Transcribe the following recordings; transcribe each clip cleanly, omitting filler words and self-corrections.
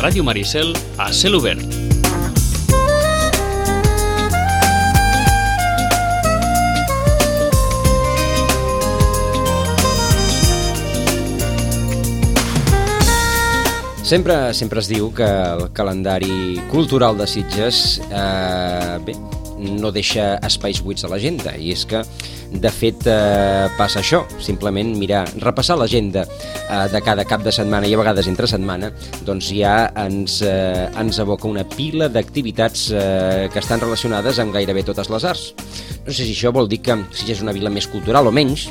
Ràdio Maricel a cel obert. Sempre es diu que el calendari cultural de Sitges no deixa espais buits a l'agenda, i és que de fet passa això, simplement repassar l'agenda de cada cap de setmana i a vegades entre setmana, doncs ja ens evoca una pila d'activitats que estan relacionades amb gairebé totes les arts. No sé si això vol dir que Sitges és una vila més cultural o menys,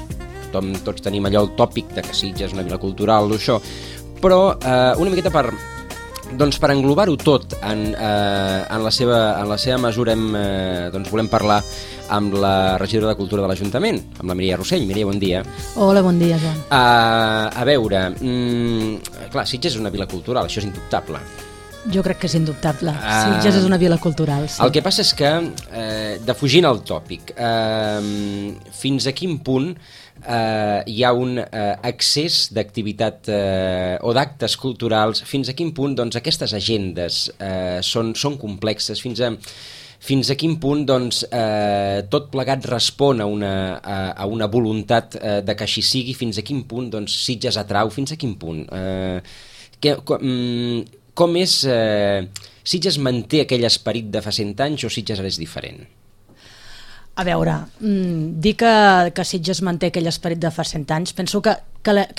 tots tenim allò el tòpic de que Sitges és una vila cultural o això, però una miqueta per englobar-ho tot en la seva mesura volem parlar amb la regidora de Cultura de l'Ajuntament, amb la Mireia Rossell. Mireia, bon dia. Hola, bon dia, Joan. A veure, clar, Sitges és una vila cultural, això és indubtable. Jo crec que és indubtable. Sitges és una vila cultural, sí. El que passa és que, defugint el tòpic, fins a quin punt hi ha un excés d'activitat o d'actes culturals, fins a quin punt aquestes agendes són complexes, fins a quin punt tot plegat respon a una voluntat de que així sigui, fins a quin punt Sitges atrau, fins a quin punt. Com és... Sitges manté aquell esperit de fa 100 anys o Sitges ara és diferent? A veure, dir que Sitges manté aquell esperit de fa 100 anys, penso que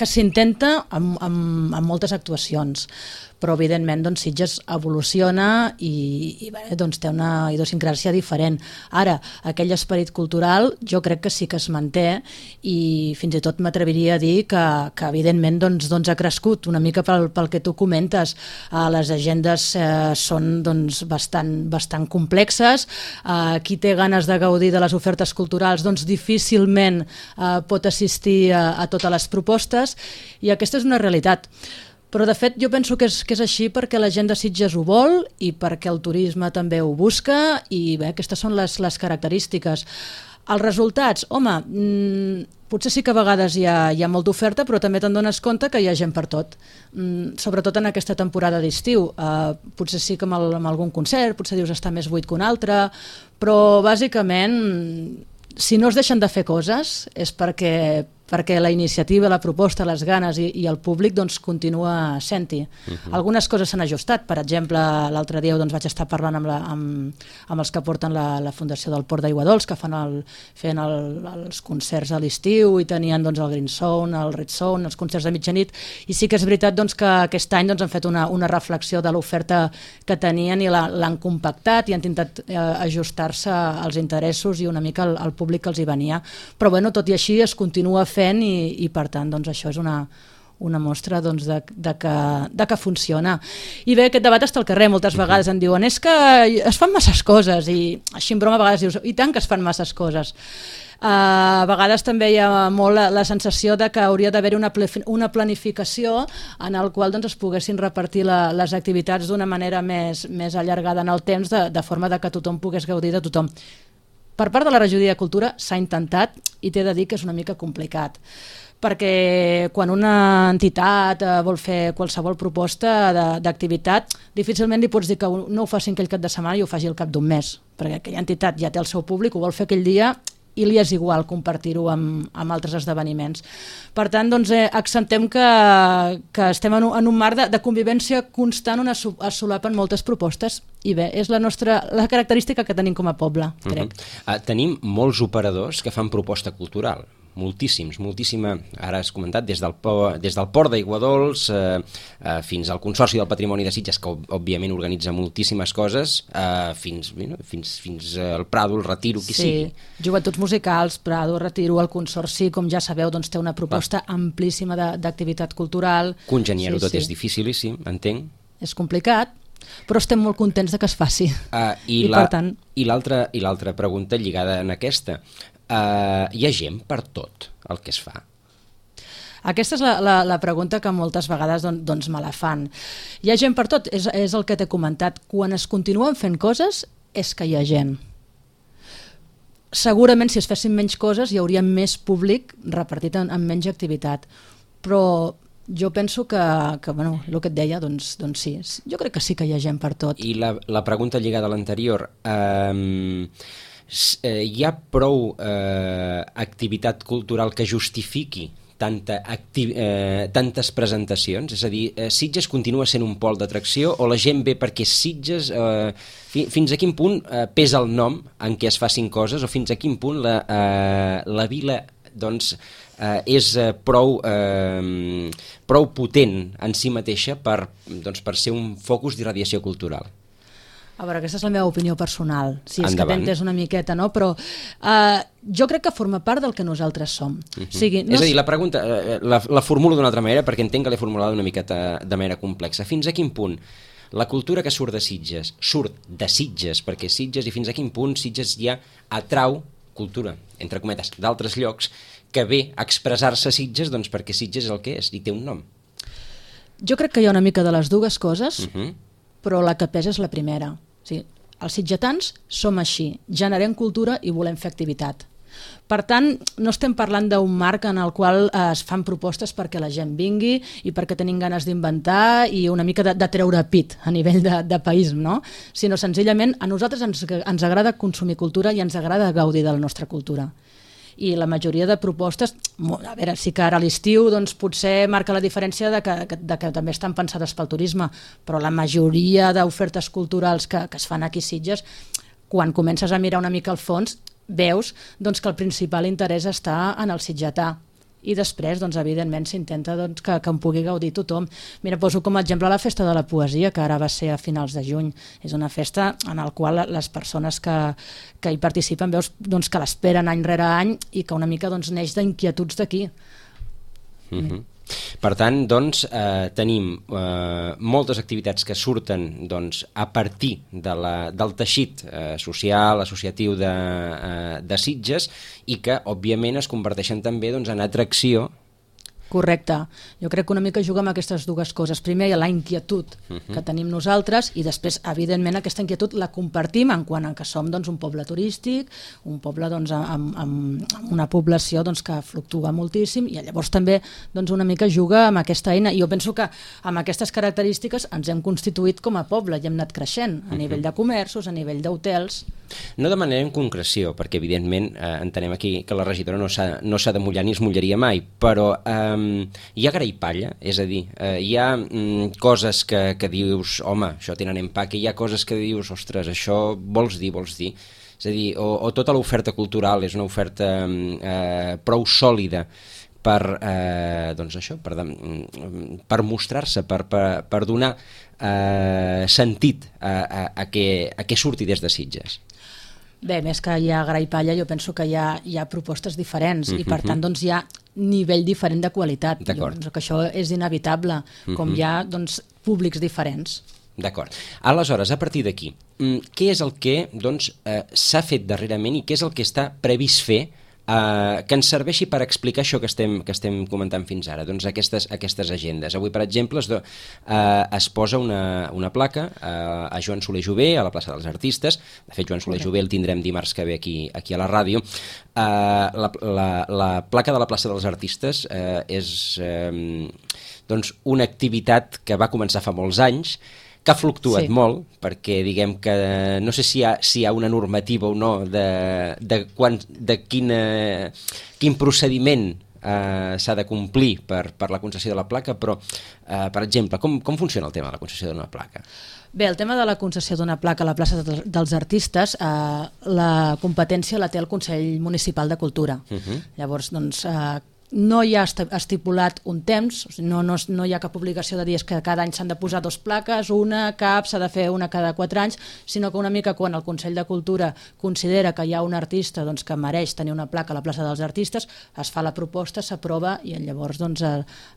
s'intenta amb moltes actuacions, però evidentment Sitges evoluciona i té una idiosincràsia diferent. Ara, aquell esperit cultural jo crec que sí que es manté i fins i tot m'atreviria a dir que evidentment ha crescut una mica pel que tu comentes. Les agendes són bastant complexes. Qui té ganes de gaudir de les ofertes culturals difícilment pot assistir a totes les propostes i aquesta és una realitat. Però de fet jo penso que és així perquè la gent de Sitges ho vol i perquè el turisme també ho busca i bé, aquestes són les característiques. Els resultats, home, potser sí que a vegades hi ha molta oferta, però també te'n dones compte que hi ha gent per tot, sobretot en aquesta temporada d'estiu. Potser sí que amb algun concert, potser dius està més buit que un altre, però bàsicament si no es deixen de fer coses és perquè la iniciativa, la proposta, les ganes i el públic continua sent-hi. Algunes coses s'han ajustat. Per exemple, l'altre dia vaig estar parlant amb els que porten la Fundació del Port d'Aiguadols, que feien els concerts a l'estiu i tenien el Green Zone, el Red Zone, els concerts de mitjanit, i sí que és veritat que aquest any han fet una reflexió de l'oferta que tenien i l'han compactat i han intentat ajustar-se als interessos i una mica al públic que els hi venia. Però tot i així es continua fent i per tant això és una mostra de que funciona. I bé, aquest debat està al carrer, moltes vegades em diuen és que es fan masses coses i així en broma a vegades dius i tant que es fan masses coses. A vegades també hi ha molt la sensació de que hauria d'haver-hi una planificació en el qual es poguessin repartir les activitats d'una manera més allargada en el temps, de forma que tothom pogués gaudir de tothom. Per part de la regidoria de Cultura s'ha intentat i t'he de dir que és una mica complicat, perquè quan una entitat vol fer qualsevol proposta d'activitat, difícilment li pots dir que no ho faci aquell cap de setmana i ho faci al cap d'un mes, perquè aquella entitat ja té el seu públic, ho vol fer aquell dia i li és igual compartir-ho amb altres esdeveniments. Per tant, accentem que estem en un marc de convivència constant on es solapen moltes propostes i bé, és la característica que tenim com a poble, crec. Tenim molts operadors que fan proposta cultural, moltíssima, ara has comentat, des del Port d'Aiguadols fins al Consorci del Patrimoni de Sitges, que òbviament organitza moltíssimes coses, fins al Prado, el Retiro, qui sigui. Sí, Joventuts Musicals, Prado, Retiro, el Consorci, com ja sabeu, té una proposta amplíssima d'activitat cultural. Congeniar-ho tot és dificilíssim, entenc. És complicat, però estem molt contents de que es faci. I l'altra pregunta lligada en aquesta, hi ha gent per tot el que es fa? Aquesta és la pregunta que moltes vegades me la fan. Hi ha gent per tot, és el que t'he comentat. Quan es continuen fent coses és que hi ha gent. Segurament si es fessin menys coses hi hauria més públic repartit en menys activitat, però Jo penso que bueno, el que et deia, doncs sí, jo crec que sí que hi ha gent per tot. I la pregunta lligada a l'anterior, hi ha prou activitat cultural que justifiqui tantes presentacions? És a dir, Sitges continua sent un pol d'atracció o la gent ve perquè Sitges... Fins a quin punt pesa el nom en què es facin coses o fins a quin punt la vila doncs, és prou potent en si mateixa per ser un focus d'irradiació cultural? A veure, aquesta és la meva opinió personal, si és Endavant. que t'entens una miqueta, no? Però jo crec que forma part del que nosaltres som. O sigui, És a dir, la pregunta la formulo d'una altra manera perquè entenc que l'he formulada una miqueta de manera complexa. Fins a quin punt la cultura que surt de Sitges, perquè Sitges, i fins a quin punt Sitges ja atrau cultura, entre cometes, d'altres llocs, que ve a expressar-se a Sitges doncs perquè Sitges és el que és i té un nom. Jo crec que hi ha una mica de les dues coses, però la que pesa és la primera. O sigui, els sitgetans som així, generem cultura i volem fer activitat. Per tant, no estem parlant d'un marc en el qual es fan propostes perquè la gent vingui i perquè tenim ganes d'inventar i una mica de treure pit a nivell de país, no? Sinó senzillament a nosaltres ens agrada consumir cultura i ens agrada gaudir de la nostra cultura. I la majoria de propostes, a veure, sí que ara a l'estiu doncs, potser marca la diferència de que també estan pensades pel turisme, però la majoria d'ofertes culturals que es fan aquí a Sitges, quan comences a mirar una mica al fons, veus doncs, que el principal interès està en el sitgetà. I després, doncs, evidentment, s'intenta doncs, que en pugui gaudir tothom. Mira, poso com a exemple la Festa de la Poesia, que ara va ser a finals de juny. És una festa en la qual les persones que hi participen veus doncs, que l'esperen any rere any i que una mica doncs, neix d'inquietuds d'aquí. Per tant, doncs, tenim moltes activitats que surten doncs, a partir del teixit social, associatiu de Sitges i que, òbviament, es converteixen també doncs, en atracció. Correcte. Jo crec que una mica juga amb aquestes dues coses. Primer, la inquietud que tenim nosaltres i després, evidentment, aquesta inquietud la compartim en quant a que som doncs, un poble turístic, un poble doncs, amb una població doncs, que fluctua moltíssim i llavors també doncs, una mica juga amb aquesta eina. I jo penso que amb aquestes característiques ens hem constituït com a poble i hem anat creixent a nivell de comerços, a nivell d'hotels. No demanarem concreció, perquè evidentment entenem aquí que la regidora no s'ha de mullar ni es mullaria mai, però hi ha gra i palla, és a dir, hi ha coses que dius, home, això tenen empaque, hi ha coses que dius, ostres, això vols dir. És a dir, o tota l'oferta cultural és una oferta prou sòlida per mostrar-se, per donar sentit a què surti des de Sitges. Bé, més que hi ha gra i palla, jo penso que hi ha propostes diferents i per tant doncs, hi ha nivell diferent de qualitat. Jo penso que això és inevitable, com hi ha doncs, públics diferents. D'acord. Aleshores, a partir d'aquí, què és el que doncs, s'ha fet darrerament i què és el que està previst fer que ens serveixi per explicar això que estem comentant fins ara, doncs aquestes agendes. Avui, per exemple, es posa una placa a Joan Soler Jové, a la plaça dels Artistes. De fet, Joan Soler Jové el tindrem dimarts que ve aquí a la ràdio. La placa de la plaça dels Artistes és doncs, una activitat que va començar fa molts anys, que ha fluctuat molt, perquè diguem que no sé si hi ha una normativa o no de quin procediment s'ha de complir per la concessió de la placa, però, per exemple, com funciona el tema de la concessió d'una placa? Bé, el tema de la concessió d'una placa a la plaça dels Artistes, la competència la té el Consell Municipal de Cultura. Llavors, doncs, no hi ha estipulat un temps, no hi ha cap obligació de dir que cada any s'han de posar 2 plaques, s'ha de fer una cada 4 anys, sinó que una mica quan el Consell de Cultura considera que hi ha un artista doncs, que mereix tenir una placa a la plaça dels Artistes, es fa la proposta, s'aprova i llavors doncs,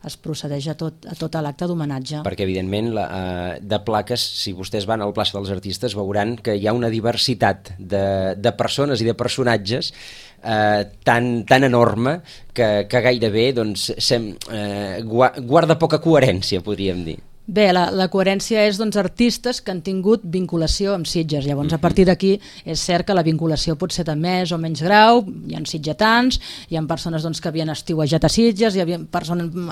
es procedeix a tot l'acte d'homenatge. Perquè evidentment de plaques, si vostès van a la plaça dels Artistes veuran que hi ha una diversitat de persones i de personatges tan enorme que gairebé doncs, guarda poca coherència, podríem dir. Bé, la coherència és artistes que han tingut vinculació amb Sitges. Llavors, a partir d'aquí, és cert que la vinculació pot ser de més o menys grau, hi ha sitgetans, hi ha persones que havien estiuejat a Sitges, hi havia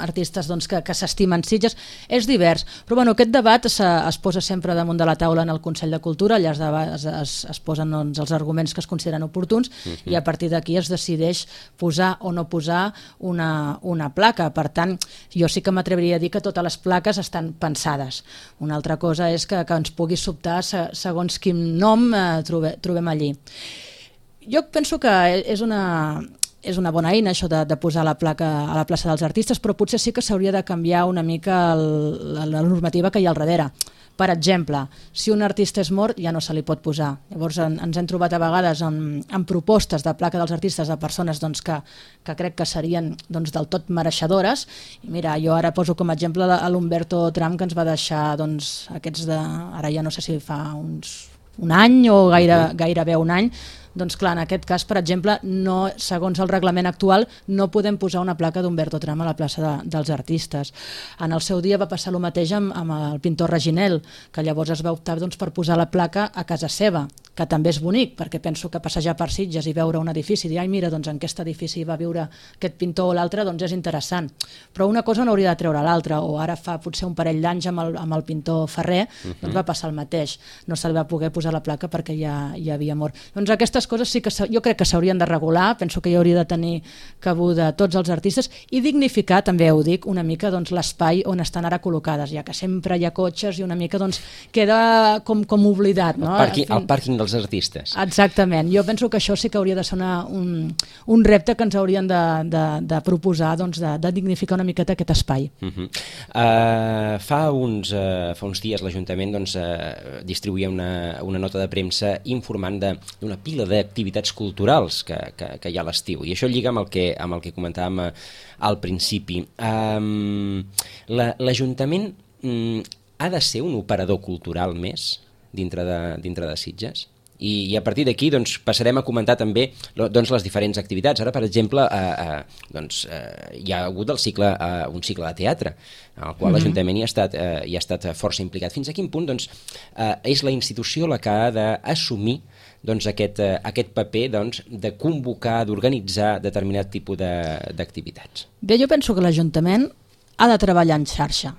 artistes que s'estimen Sitges, és divers. Però aquest debat es posa sempre damunt de la taula en el Consell de Cultura, allà es posen els arguments que es consideren oportuns i a partir d'aquí es decideix posar o no posar una placa. Per tant, jo sí que m'atreviria a dir que totes les plaques estan pensades. Una altra cosa és que ens pugui sobtar segons quin nom trobem allí. Jo penso que és una bona eina això de posar la placa a la plaça dels artistes, però potser sí que s'hauria de canviar una mica la normativa que hi ha al darrere. Per exemple, si un artista és mort ja no se li pot posar. Llavors ens hem trobat a vegades amb propostes de placa dels artistes de persones que crec que serien del tot mereixedores. I mira, jo ara poso com a exemple l'Humberto Tram, que ens va deixar aquests ara ja no sé si fa un any o gairebé un any. Doncs clar, en aquest cas, per exemple, segons el reglament actual, no podem posar una placa d'Humberto Tram a la plaça dels artistes. En el seu dia va passar el mateix amb el pintor Reginel, que llavors es va optar per posar la placa a casa seva, que també és bonic, perquè penso que passejar per Sitges i veure un edifici i dir, ai mira, en aquest edifici va viure aquest pintor o l'altre, és interessant. Però una cosa no hauria de treure l'altra, o ara fa potser un parell d'anys amb el pintor Ferrer, va passar el mateix. No se li va poder posar la placa perquè ja havia mort. Doncs aquestes coses sí que jo crec que s'haurien de regular, penso que hi hauria de tenir cabuda tots els artistes i dignificar, també ho dic, una mica l'espai on estan ara col·locades, ja que sempre hi ha cotxes i una mica queda com oblidat. No? El pàrquing dels artistes. Exactament, jo penso que això sí que hauria de ser un repte que ens haurien de proposar, de dignificar una miqueta aquest espai. Fa uns dies l'Ajuntament distribuïa una nota de premsa informant d'una pila d'activitats culturals que hi ha a l'estiu, i això lliga amb el que comentàvem al principi. L'Ajuntament ha de ser un operador cultural més dintre de Sitges? I a partir d'aquí passarem a comentar també les diferents activitats. Ara, per exemple, hi ha hagut un cicle de teatre, en el qual l'Ajuntament hi ha estat força implicat. Fins a quin punt és la institució la que ha d'assumir aquest paper de convocar, d'organitzar determinat tipus d'activitats? Bé, jo penso que l'Ajuntament ha de treballar en xarxa.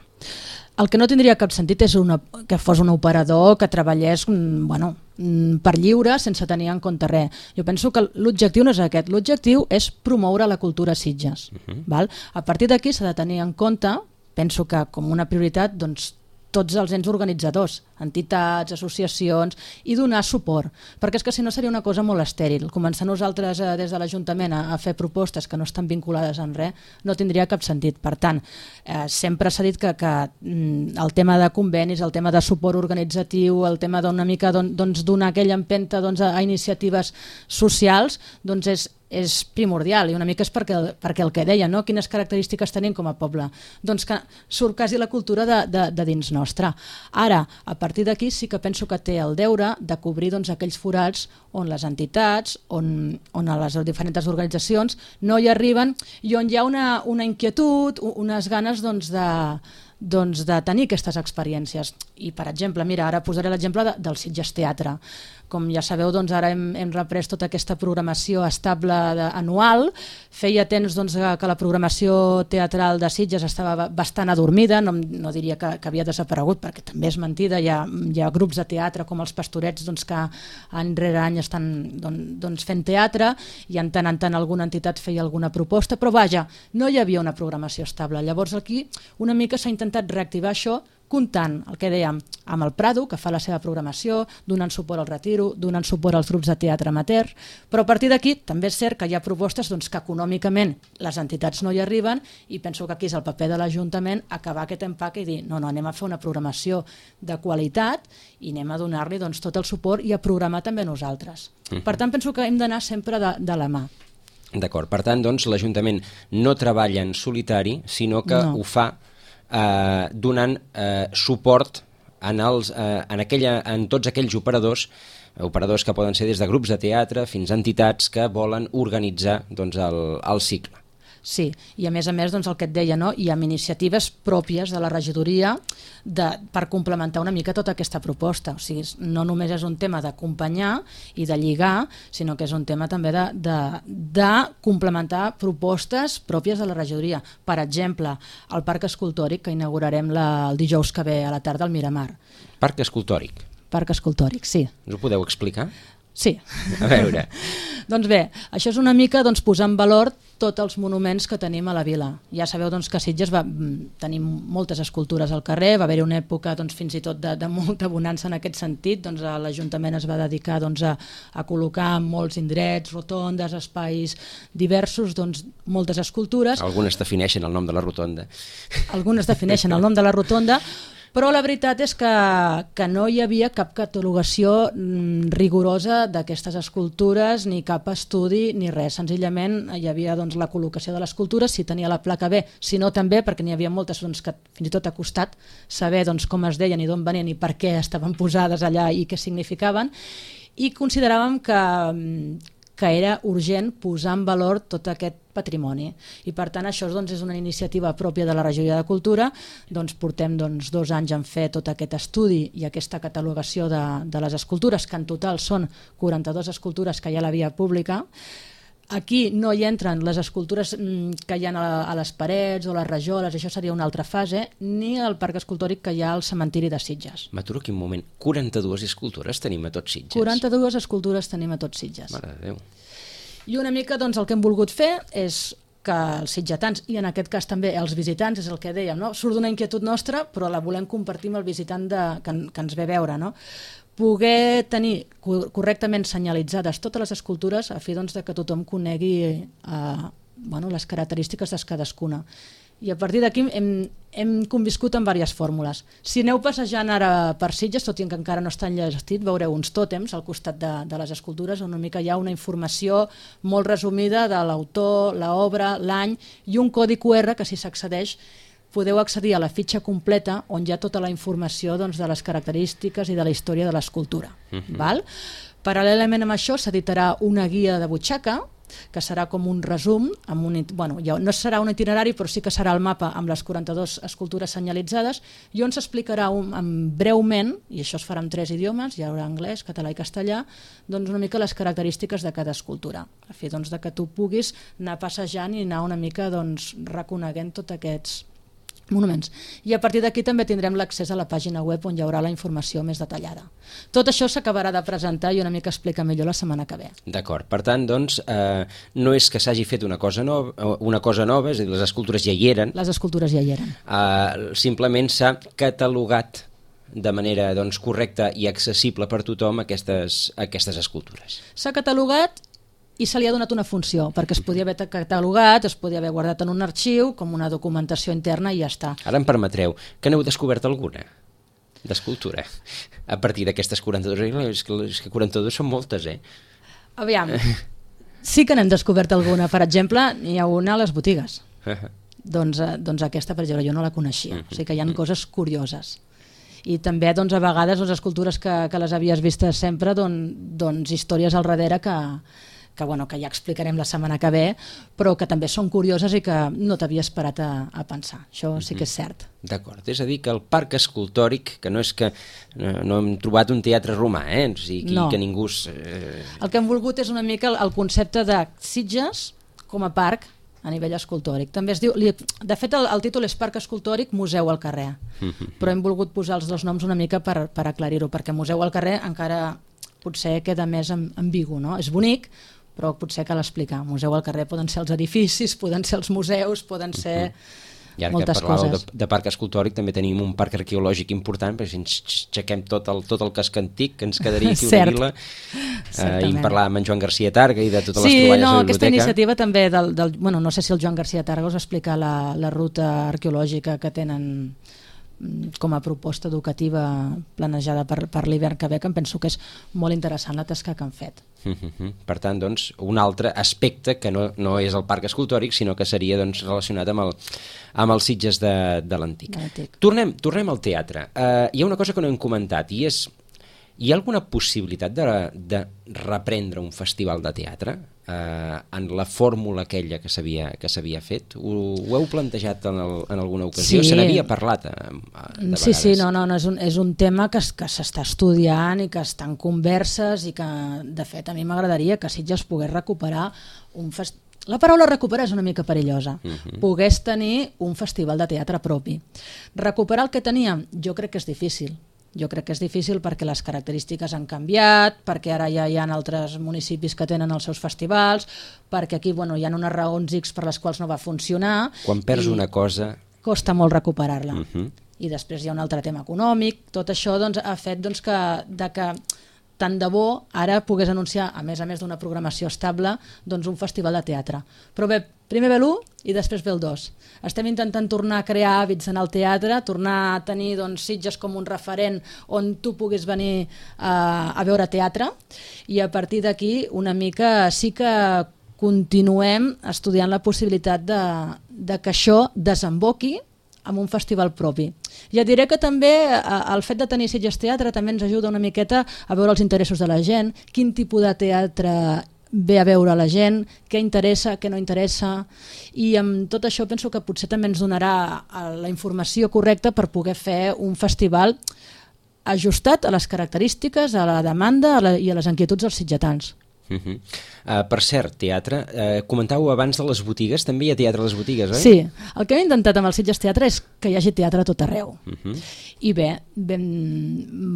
El que no tindria cap sentit és que fos un operador que treballés per lliure sense tenir en compte res. Jo penso que l'objectiu no és aquest, l'objectiu és promoure la cultura a Sitges. Val? A partir d'aquí s'ha de tenir en compte, penso que com una prioritat, tots els ens organitzadors, entitats, associacions, i donar suport, perquè és que si no seria una cosa molt estèril. Començar nosaltres des de l'Ajuntament a fer propostes que no estan vinculades en res no tindria cap sentit. Per tant, sempre s'ha dit que el tema de convenis, el tema de suport organitzatiu, el tema d'una mica donar aquella empenta a iniciatives socials, és primordial, i una mica és perquè el que deia, no? Quines característiques tenim com a poble, que surt quasi la cultura de dins nostra. Ara, a partir d'aquí sí que penso que té el deure de cobrir aquells forats on les entitats, on les diferents organitzacions no hi arriben i on hi ha una inquietud, unes ganes de tenir aquestes experiències. I, per exemple, mira, ara posaré l'exemple del Sitges Teatre. Com ja sabeu, ara hem reprès tota aquesta programació estable anual. Feia temps que la programació teatral de Sitges estava bastant adormida, no diria que havia desaparegut, perquè també és mentida. Hi ha grups de teatre com els Pastorets que any rere any estan fent teatre, i en tant alguna entitat feia alguna proposta, però vaja, no hi havia una programació estable. Llavors aquí una mica s'ha intentat reactivar això, comptant, el que dèiem, amb el Prado, que fa la seva programació, donant suport al Retiro, donant suport als grups de teatre amateur, però a partir d'aquí també és cert que hi ha propostes que econòmicament les entitats no hi arriben, i penso que aquí és el paper de l'Ajuntament acabar aquest empac i dir, no, anem a fer una programació de qualitat i anem a donar-li tot el suport i a programar també nosaltres. Per tant, penso que hem d'anar sempre de la mà. D'acord, per tant, l'Ajuntament no treballa en solitari, sinó que ho fa donant suport en tots aquells operadors que poden ser des de grups de teatre fins a entitats que volen organitzar el cicle. Sí, i a més, doncs, el que et deia, no? Hi ha iniciatives pròpies de la regidoria per complementar una mica tota aquesta proposta. O sigui, no només és un tema d'acompanyar i de lligar, sinó que és un tema també de complementar propostes pròpies de la regidoria. Per exemple, el Parc Escultòric, que inaugurarem el dijous que ve a la tarda al Miramar. Parc Escultòric. Parc Escultòric, sí. Us ho podeu explicar? Sí. A veure. Doncs bé, això és una mica posar en valor tots els monuments que tenim a la vila. Ja sabeu que a Sitges tenim moltes escultures al carrer, va haver-hi una època fins i tot de molta bonança en aquest sentit, l'Ajuntament es va dedicar a col·locar en molts indrets, rotondes, espais diversos, moltes escultures. Algunes defineixen el nom de la rotonda. Algunes defineixen el nom de la rotonda, però la veritat és que no hi havia cap catalogació rigorosa d'aquestes escultures, ni cap estudi, ni res. Senzillament hi havia la col·locació de l'escultura, si tenia la placa B, si no també, perquè n'hi havia moltes que fins i tot ha costat saber com es deien i d'on venien i per què estaven posades allà i què significaven, i consideràvem que era urgent posar en valor tot aquest patrimoni. I per tant això és una iniciativa pròpia de la Regidoria de Cultura. Portem 2 anys en fer tot aquest estudi i aquesta catalogació de les escultures, que en total són 42 escultures que hi ha a la via pública. Aquí no hi entren les escultures que hi ha a les parets o les rajoles, això seria una altra fase, ni el parc escultòric que hi ha al cementiri de Sitges. M'aturo aquí un moment. 42 escultures tenim a tots Sitges? 42 escultures tenim a tots Sitges. Mare de Déu. I una mica el que hem volgut fer és que els sitgetans, i en aquest cas també els visitants, és el que dèiem, no? Surt d'una inquietud nostra, però la volem compartir amb el visitant que ens ve a veure, no? Poder tenir correctament senyalitzades totes les escultures a fi de que tothom conegui les característiques de cadascuna. I a partir d'aquí hem conviscut amb diverses fórmules. Si aneu passejant ara per Sitges, tot i que encara no està enllestit, veureu uns tòtems al costat de les escultures, on una mica hi ha una informació molt resumida de l'autor, l'obra, l'any, i un codi QR que, si s'accedeix, podeu accedir a la fitxa completa on hi ha tota la informació de les característiques i de la història de l'escultura. Paral·lelament amb això s'editarà una guia de butxaca, que serà com un resum, no serà un itinerari, però sí que serà el mapa amb les 42 escultures senyalitzades, i on s'explicarà breument, i això es farà en 3 idiomes, hi haurà anglès, català i castellà, una mica les característiques de cada escultura, a fi de que tu puguis anar passejant i anar una mica reconeguent tots aquests monuments. I a partir d'aquí també tindrem l'accés a la pàgina web on hi haurà la informació més detallada. Tot això s'acabarà de presentar i una mica explicar millor la setmana que ve. D'acord, per tant, no és que s'hagi fet una cosa nova, és a dir, les escultures ja hi eren. Les escultures ja hi eren. Simplement s'ha catalogat de manera correcta i accessible per tothom aquestes escultures. S'ha catalogat i se li ha donat una funció, perquè es podia haver catalogat, es podia haver guardat en un arxiu, com una documentació interna, i ja està. Ara em permetreu, que n'heu descobert alguna d'escultura a partir d'aquestes 42? És que 42 són moltes, Aviam, sí que n'hem descobert alguna. Per exemple, n'hi ha una a les botigues. Doncs aquesta, per exemple, jo no la coneixia. O sigui que hi ha coses curioses. I també, a vegades, les escultures que les havies vistes sempre, històries al darrere que ja explicarem la setmana que ve, però que també són curioses i que no t'havia esperat a pensar. Això sí que és cert. D'acord, és a dir, que el parc escultòric, que no és que no hem trobat un teatre romà, o sigui, que ningú... El que hem volgut és una mica el concepte de Sitges com a parc a nivell escultòric. També es diu, de fet el títol és Parc Escultòric Museu al carrer, però hem volgut posar els 2 noms una mica per aclarir-ho, perquè Museu al carrer encara potser queda més ambigu, no? És bonic, però potser cal explicar. Museu al carrer poden ser els edificis, poden ser els museus, poden ser moltes coses. I ara que parlàveu de parc escultòric, també tenim un parc arqueològic important, perquè si ens aixequem tot el casc antic, que ens quedaria aquí una vila, i parlàvem amb en Joan García Targa i de totes les troballes de la biblioteca. Aquesta iniciativa també no sé si el Joan García Targa us explica la ruta arqueològica que tenen com a proposta educativa planejada per l'hivern que ve, que em penso que és molt interessant la tasca que han fet. Per tant, un altre aspecte que no és el parc escultòric, sinó que seria relacionat amb els Sitges de l'antic. Tornem al teatre. Hi ha una cosa que no hem comentat, i és Hi ha alguna possibilitat de reprendre un festival de teatre en la fórmula aquella que s'havia fet? Ho heu plantejat en alguna ocasió? Sí. Se n'havia parlat de vegades? Sí, és un tema que s'està estudiant i que està en converses i que, de fet, a mi m'agradaria que Sitges pogués recuperar un festival. La paraula recuperar és una mica perillosa. Pogués tenir un festival de teatre propi. Recuperar el que teníem, jo crec que és difícil. Jo crec que és difícil perquè les característiques han canviat, perquè ara ja hi ha altres municipis que tenen els seus festivals, perquè aquí hi ha unes raons X per les quals no va funcionar. Quan perds una cosa... Costa molt recuperar-la. I després hi ha un altre tema econòmic. Tot això ha fet que tant de bo ara pogués anunciar, a més d'una programació estable, un festival de teatre. Però bé, primer ve l'1 i després ve el 2. Estem intentant tornar a crear hàbits en el teatre, tornar a tenir Sitges com un referent on tu puguis venir a veure teatre, i a partir d'aquí una mica sí que continuem estudiant la possibilitat de que això desemboqui amb un festival propi. Ja diré que també el fet de tenir Sitges Teatre també ens ajuda una miqueta a veure els interessos de la gent, quin tipus de teatre ve a veure la gent, què interessa, què no interessa, i amb tot això penso que potser també ens donarà la informació correcta per poder fer un festival ajustat a les característiques, a la demanda i a les inquietuds dels sitgetans. Per cert, teatre, comentàveu abans de les botigues, també hi ha teatre a les botigues, oi? Sí, el que hem intentat amb el Sitges Teatre és que hi hagi teatre a tot arreu. I bé, vam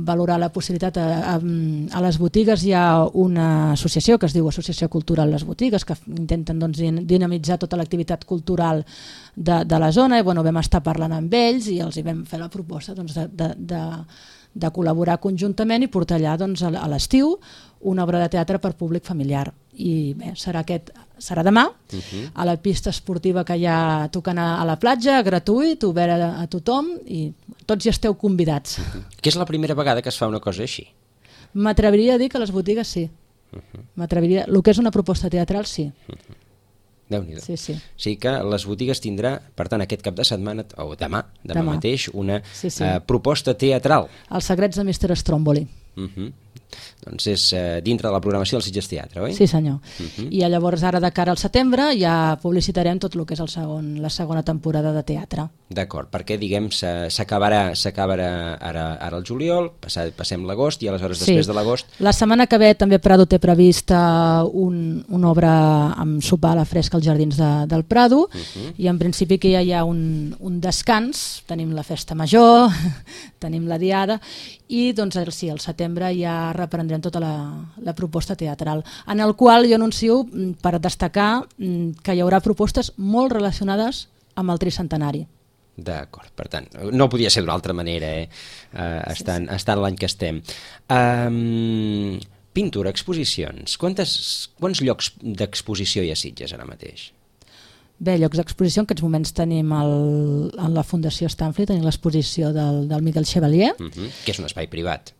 valorar la possibilitat. A les botigues hi ha una associació que es diu Associació Cultural Les Botigues, que intenten dinamitzar tota l'activitat cultural de la zona, i vam estar parlant amb ells i els hi vam fer la proposta de col·laborar conjuntament i portar allà a l'estiu una obra de teatre per públic familiar. I bé, serà demà, a la pista esportiva que hi ha tocant a la platja, gratuït, obert a tothom, i tots hi esteu convidats. Que és la primera vegada que es fa una cosa així? M'atreviria a dir que a les botigues sí. M'atreviria. El que és una proposta teatral, sí. Déu-n'hi-do. Sí. O sigui que les botigues tindrà, per tant, aquest cap de setmana, o demà mateix, una proposta teatral. Els secrets de Mr. Stromboli. Doncs és dintre de la programació del Sitges Teatre, oi? Sí, senyor. I llavors ara de cara al setembre ja publicitarem tot el que és la segona temporada de teatre. D'acord, perquè diguem s'acabarà ara el juliol, passem l'agost i aleshores després de l'agost... La setmana que ve també Prado té prevista una obra amb sopar a la fresca als jardins del Prado, i en principi que ja hi ha un descans, tenim la festa major, tenim la diada, i doncs sí, al setembre ja reprendrem tota la proposta teatral, en el qual jo anuncio, per destacar, que hi haurà propostes molt relacionades amb el tricentenari. D'acord, per tant, no podia ser d'una altra manera, estant l'any que estem. Pintura, exposicions, quants llocs d'exposició hi ha a Sitges ara mateix? Bé, llocs d'exposició, en aquests moments tenim en la Fundació Stanford, tenim l'exposició del Miquel Chevalier, que és un espai privat.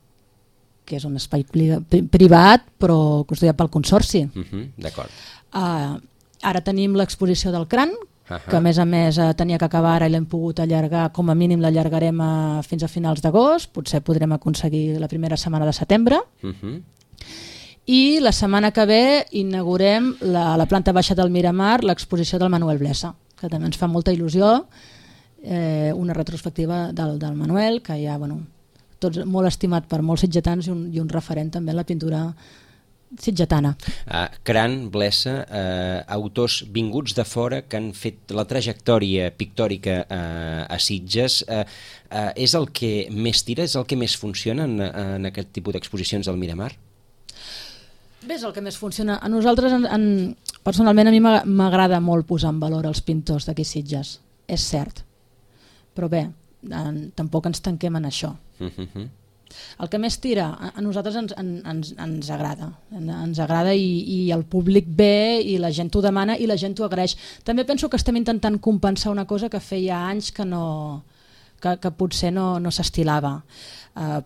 Que és un espai privat, però custodiat pel Consorci. D'acord. Ara tenim l'exposició del Cran, que a més tenia que acabar ara i l'hem pogut allargar, com a mínim l'allargarem fins a finals d'agost, potser podrem aconseguir la primera setmana de setembre. I la setmana que ve inaugurem a la planta baixa del Miramar l'exposició del Manuel Blesa, que també ens fa molta il·lusió, una retrospectiva del Manuel, que ja, tots molt estimat per molts sitgetans i un referent també en la pintura sitgetana. Cran, Blesa, autors vinguts de fora que han fet la trajectòria pictòrica a Sitges, és el que més tira, és el que més funciona en aquest tipus d'exposicions del Miramar? Bé, és el que més funciona. A nosaltres, personalment, a mi m'agrada molt posar en valor els pintors d'aquí Sitges, és cert. Però bé, tampoc ens tanquem en això. El que més tira, a nosaltres ens agrada. Ens agrada i el públic ve i la gent ho demana i la gent ho agraeix. També penso que estem intentant compensar una cosa que feia anys que no que potser no s'estilava.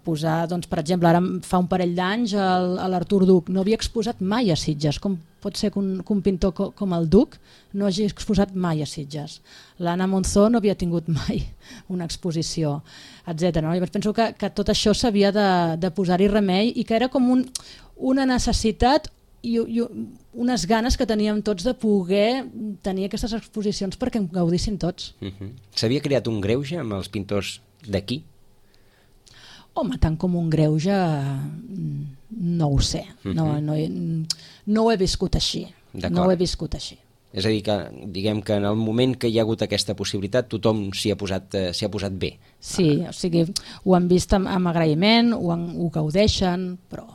Posar, doncs, per exemple, ara fa un parell d'anys l'Artur Duc no havia exposat mai a Sitges, com pot ser que un pintor com el Duc no hagi exposat mai a Sitges. L'Anna Monzó no havia tingut mai una exposició, etc. No? Llavors penso que tot això s'havia de posar-hi remei i que era com una necessitat i unes ganes que teníem tots de poder tenir aquestes exposicions perquè en gaudissin tots. S'havia creat un greuge amb els pintors d'aquí? Home, tant com un greuge no ho sé, no ho he viscut així. No ho he viscut així. És a dir, que diguem que en el moment que hi ha hagut aquesta possibilitat tothom s'hi ha posat bé. Sí, o sigui, ho han vist amb agraïment, ho gaudeixen, però...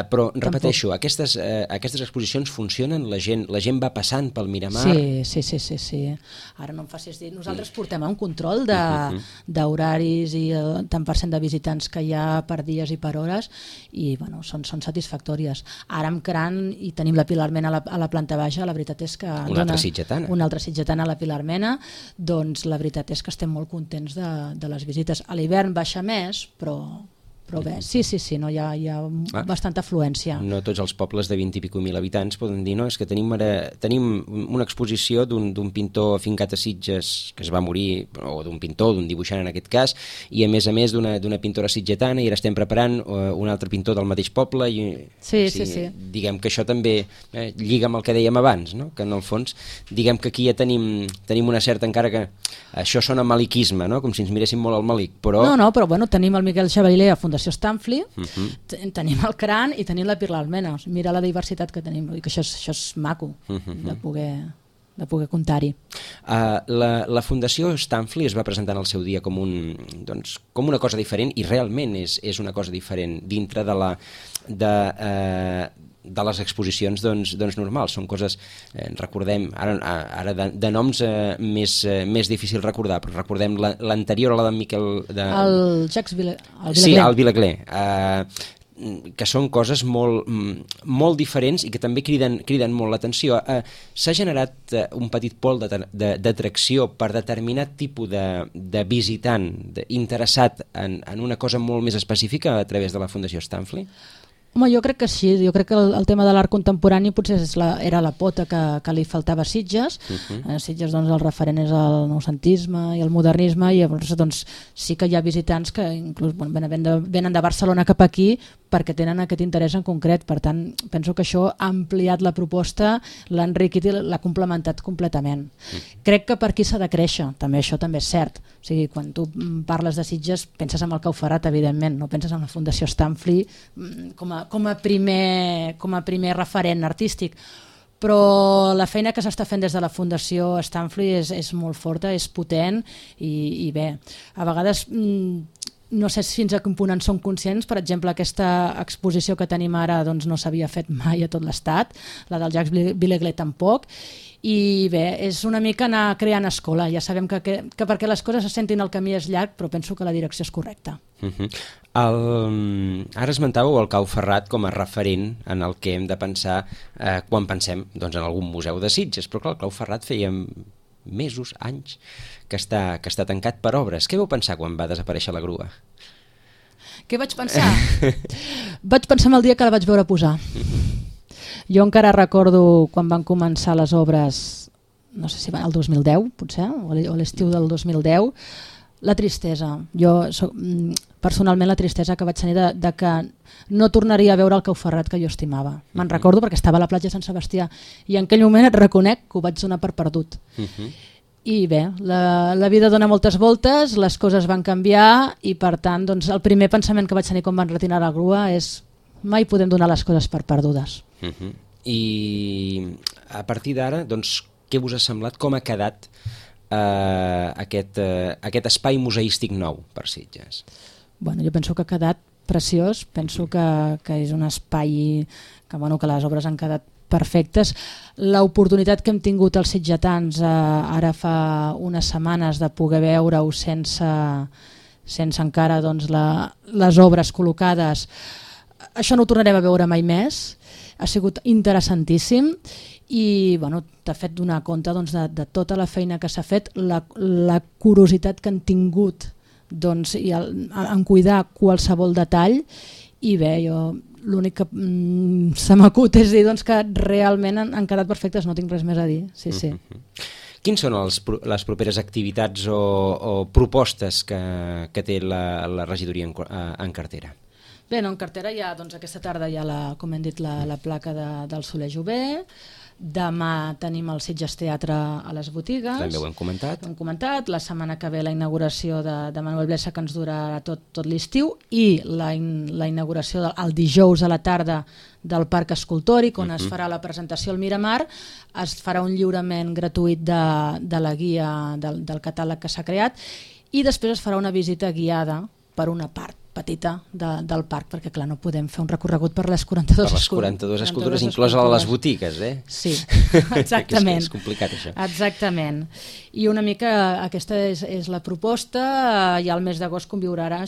Però repeteixo, aquestes exposicions funcionen, la gent va passant pel Miramar. Sí. Ara no em facis dir, nosaltres portem un control d'horaris i tant % de visitants que hi ha per dies i per hores i bueno, són satisfactòries. Ara amb Cran i tenim la Pilar Mena a la planta baixa, la veritat és que una altra sitgetana a la Pilar Mena, doncs la veritat és que estem molt contents de les visites. A l'hivern baixa més, però bé, sí, no, hi ha bastanta afluència. No tots els pobles de 20 i pico mil habitants poden dir, no, és que tenim una exposició d'un pintor afincat a Sitges que es va morir, o d'un pintor, d'un dibuixant en aquest cas, i a més d'una pintora sitgetana, i ara estem preparant un altre pintor del mateix poble. Sí. Diguem que això també lliga amb el que dèiem abans, no? Que en el fons, diguem que aquí ja tenim una certa, encara que això sona maliquisme, no? Com si ens miréssim molt al Malik, però... No, però bueno, tenim el Miquel Xavalé a Fundació Stanfli, tenim el Cran i tenim la Pilar Almena. Mira la diversitat que tenim, i que això és maco de poder comptar-hi. La Fundació Stanfli es va presentar en el seu dia com una cosa diferent, i realment és una cosa diferent dintre de les exposicions normals. Són coses, recordem, ara de noms més difícil recordar, però recordem l'anterior a la d'en Miquel... El Jacques Vilegler. Sí, el Vilegler. Que són coses molt diferents i que també criden molt l'atenció. S'ha generat un petit pol d'atracció per determinat tipus de visitant interessat en una cosa molt més específica a través de la Fundació Stanfli? Home, jo crec que sí, jo crec que el tema de l'art contemporani potser era la pota que li faltava a Sitges. Sitges, doncs, el referent és el noucentisme i el modernisme, i llavors doncs, sí que hi ha visitants que inclús venen de Barcelona cap aquí perquè tenen aquest interès en concret. Per tant, penso que això ha ampliat la proposta, l'ha enriquit i l'ha complementat completament. Crec que per aquí s'ha de créixer, també això també és cert. O sigui, quan tu parles de Sitges penses en el Cau Ferrat, evidentment, no penses en la Fundació Stanfli com a primer referent artístic, però la feina que s'està fent des de la Fundació Stanfli és molt forta, és potent i bé, a vegades no sé fins a quin punt en són conscients. Per exemple, aquesta exposició que tenim ara doncs no s'havia fet mai a tot l'estat, la del Jacques Vilegler tampoc, i bé, és una mica anar creant escola. Ja sabem que perquè les coses se sentin el camí és llarg, però penso que la direcció és correcta. Ara esmentàveu el Cau Ferrat com a referent en el que hem de pensar quan pensem en algun museu de Sitges, però clar, el Cau Ferrat feia mesos, anys, que està tancat per obres. Què vau pensar quan va desaparèixer la grua? Què vaig pensar? Vaig pensar en el dia que la vaig veure posar. Jo encara recordo quan van començar les obres, no sé si va el 2010, potser, o l'estiu del 2010, la tristesa. Personalment la tristesa que vaig tenir de que no tornaria a veure el Cau Ferrat que jo estimava. Me'n recordo perquè estava a la platja de Sant Sebastià i en aquell moment et reconec que ho vaig donar per perdut. I bé, la vida dona moltes voltes, les coses van canviar i per tant doncs, el primer pensament que vaig tenir quan van retirar la grua és mai podem donar les coses per perdudes. I a partir d'ara, doncs, què us ha semblat? Com ha quedat aquest espai museístic nou per Sitges? Bueno, jo penso que ha quedat preciós, penso que és un espai que les obres han quedat perfectes. L'oportunitat que hem tingut els sitgetans ara fa unes setmanes de poder veure-ho sense encara doncs, les obres col·locades, això no ho tornarem a veure mai més. Ha sigut interessantíssim i bueno, t'ha fet donar compte doncs, de tota la feina que s'ha fet, la curiositat que han tingut doncs, i en cuidar qualsevol detall, i bé, jo l'únic que se m'acut és dir doncs, que realment han quedat perfectes, no tinc res més a dir. Sí, sí. Quins són les properes activitats o propostes que té la regidoria en cartera? Bé, en cartera hi ha, doncs, aquesta tarda hi ha, com hem dit, la placa del Soler Jové. Demà tenim el Sitges Teatre a les botigues. També ho hem comentat. La setmana que ve la inauguració de Manuel Blesa, que ens durarà tot l'estiu, i la inauguració el dijous a la tarda del Parc Escultòric, on es farà la presentació al Miramar. Es farà un lliurament gratuït de la guia del catàleg que s'ha creat, i després es farà una visita guiada per una part petita del parc, perquè clar, no podem fer un recorregut per les 42 escultures, inclosa les botigues, eh? Sí, exactament. és complicat, això. Exactament. I una mica aquesta és la proposta. Ja al mes d'agost conviurà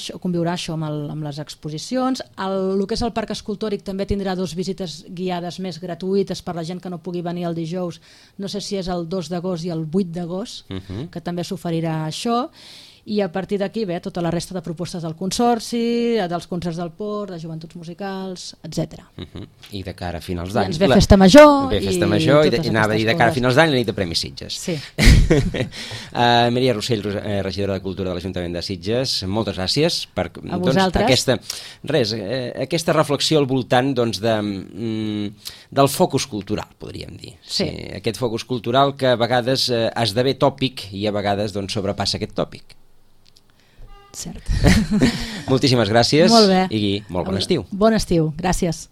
això amb les exposicions. El que és el Parc Escultòric també tindrà 2 visites guiades més gratuïtes per la gent que no pugui venir el dijous. No sé si és el 2 d'agost i el 8 d'agost, que també s'oferirà això. I a partir d'aquí ve tota la resta de propostes del Consorci, dels concerts del Port, de joventuts musicals, etc. I de cara a finals d'any... I ens ve Festa Major. Ve Festa Major i anava a dir de cara a finals d'any la nit de Premis Sitges. Sí. Maria Rossell, regidora de Cultura de l'Ajuntament de Sitges, moltes gràcies per aquesta reflexió al voltant del focus cultural, podríem dir. Sí. Aquest focus cultural que a vegades esdevé tòpic i a vegades sobrepassa aquest tòpic. Cert. Moltíssimes gràcies. Molt bé. I molt bon estiu. Bon estiu, gràcies.